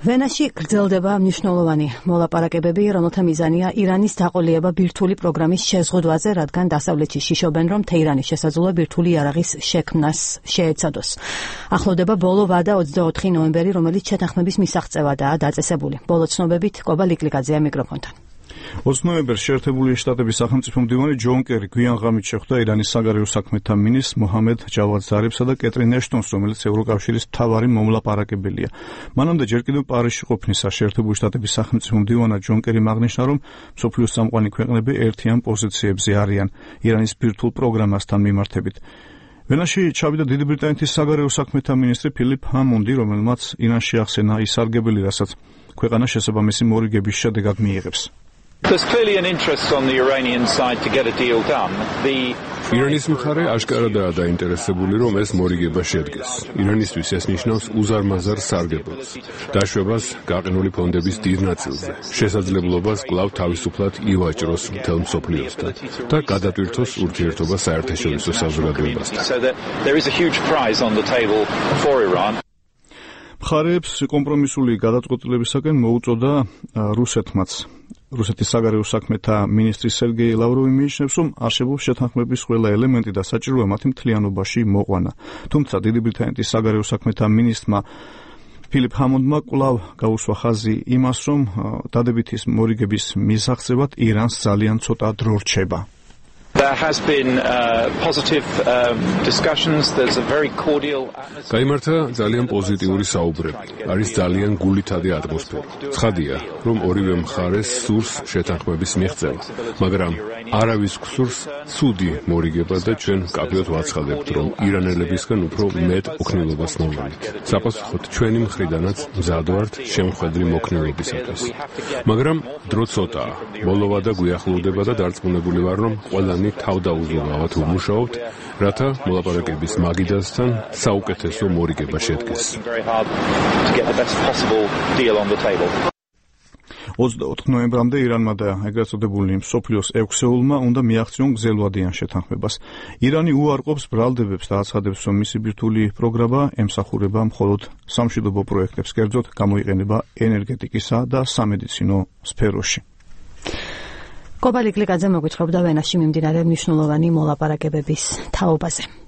ვენაში გრძელდება მნიშვნელოვანი მოლაპარაკებები, რომელთა მიზანია ირანის დაყოლება ბირთვული პროგრამის შეზღუდვაზე, რადგან დასავლეთში შიშობენ, რომ თეირანის შესაძლოა ბირთვული იარაღის შექმნას შეეცადოს. ახლოვდება ბოლო ვადა 24 ნოემბერი, რომელიც შეთანხმების მისაღწევადაა დაწესებული. ბოლო ცნობებით კობა ლიკლიკაძეა მიკროფონთან. 20 ნოემბერს შეერთებული შტატების სახელმწიფო მდივანი ჯონ კერი გვიან ღამით შეხვდა ირანის საგარეო საქმეთა მინისტრს მოჰამედ ჯავად ზარიფსა და კეტრინ ეშტონს, რომელიც ევროკავშირის მთავარი მომლაპარაკებელია. მანამდე ჯერ კიდევ პარიზში ყოფნისას შეერთებული შტატების სახელმწიფო მდივანად ჯონ კერიმ აღნიშნა, რომ მსოფლიოს წამყვანი ქვეყნები ერთიან პოზიციებზე არიან ირანის ბირთვულ პროგრამასთან მიმართებით. ვენაში ჩავიდა დიდი ბრიტანეთის საგარეო საქმეთა მინისტრი ფილიპ ჰამონდი, რომელმაც ირანში ახსენა ის სარგებელი, რასაც ქვეყანა შესაბამისი მორიგების შედეგად მიიღებს. There's clearly an interest on the Iranian side to get a deal done. ირანის მხარე აშკარადაა დაინტერესებული, რომ ეს მორიგება შედგეს. ირანისთვის ეს ნიშნავს უზარმაზარ სარგებელს, დაშვებას გაყინული ფონდების დიდ ნაწილზე, შესაძლებლობას კვლავ თავისუფლად ივაჭროს მთელ მსოფლიოსთან და გადატვირთოს ურთიერთობა საერთაშორისო საზოგადოებასთან. მხარეებს კომპრომისული გადაწყვეტილებისაკენ მოუწოდა რუსეთმაც. რუსეთის საგარეო საქმეთა მინისტრი სერგეი ლავროვი მიიჩნევს, რომ არსებობს შეთანხმების ყველა ელემენტი და საჭიროა მათი მთლიანობაში მოყვანა. თუმცა დიდი ბრიტანეთის საგარეო საქმეთა მინისტრმა ფილიპ ჰამონდმა კვლავ გაუსვა ხაზი იმას, რომ დადებითი მორიგების მისაღწევად ირანს ძალიან ცოტა დრო რჩება. There has been positive discussions. There's a very cordial atmosphere. გაიმართა ძალიან პოზიტიური საუბრები. არის ძალიან გულითადი ატმოსფერო. ცხადია, რომ ორივე მხარეს სურს შეთანხმების მიღწევა, მაგრამ არავის გსურს ცუდი მორიგება და ჩვენ კაფეოდ ვაცხადებთ, რომ ირანელებისგან უფრო მეტ ოქნილობას მოვიდეთ. საპასუხოდ ჩვენი მხრიდანაც მზად ვართ შემხედრი მოქნილობისათვის. მაგრამ დრო ცოტაა. ბოლოვა და გვიახლოვდება და დარწმუნებული ვარ, რომ ყველანი თავდაუზრუნავად ვმუშაობთ, რათა მოლაპარაკების მაგიდასთან საუკეთესო მორიგება შედგეს. 24 ნოემბრამდე ირანმა და ეგრეთ წოდებული მსოფლიოს 6-ეულმა უნდა მიაღწიონ გზელვადიან შეთანხმებას. ირანი უარყოფს ბრალდებებს და აცხადებს, რომ მისი ბირთვული პროგრამა ემსახურება მხოლოდ სამშვიდობო პროექტებს, კერძოდ გამოიყენება ენერგეტიკისა და სამედიცინო სფეროში. კობა ლიკლიკაძე მოგვითხრობდა ვენაში მიმდინარე მნიშვნელოვანი მოლაპარაკებების თაობაზე.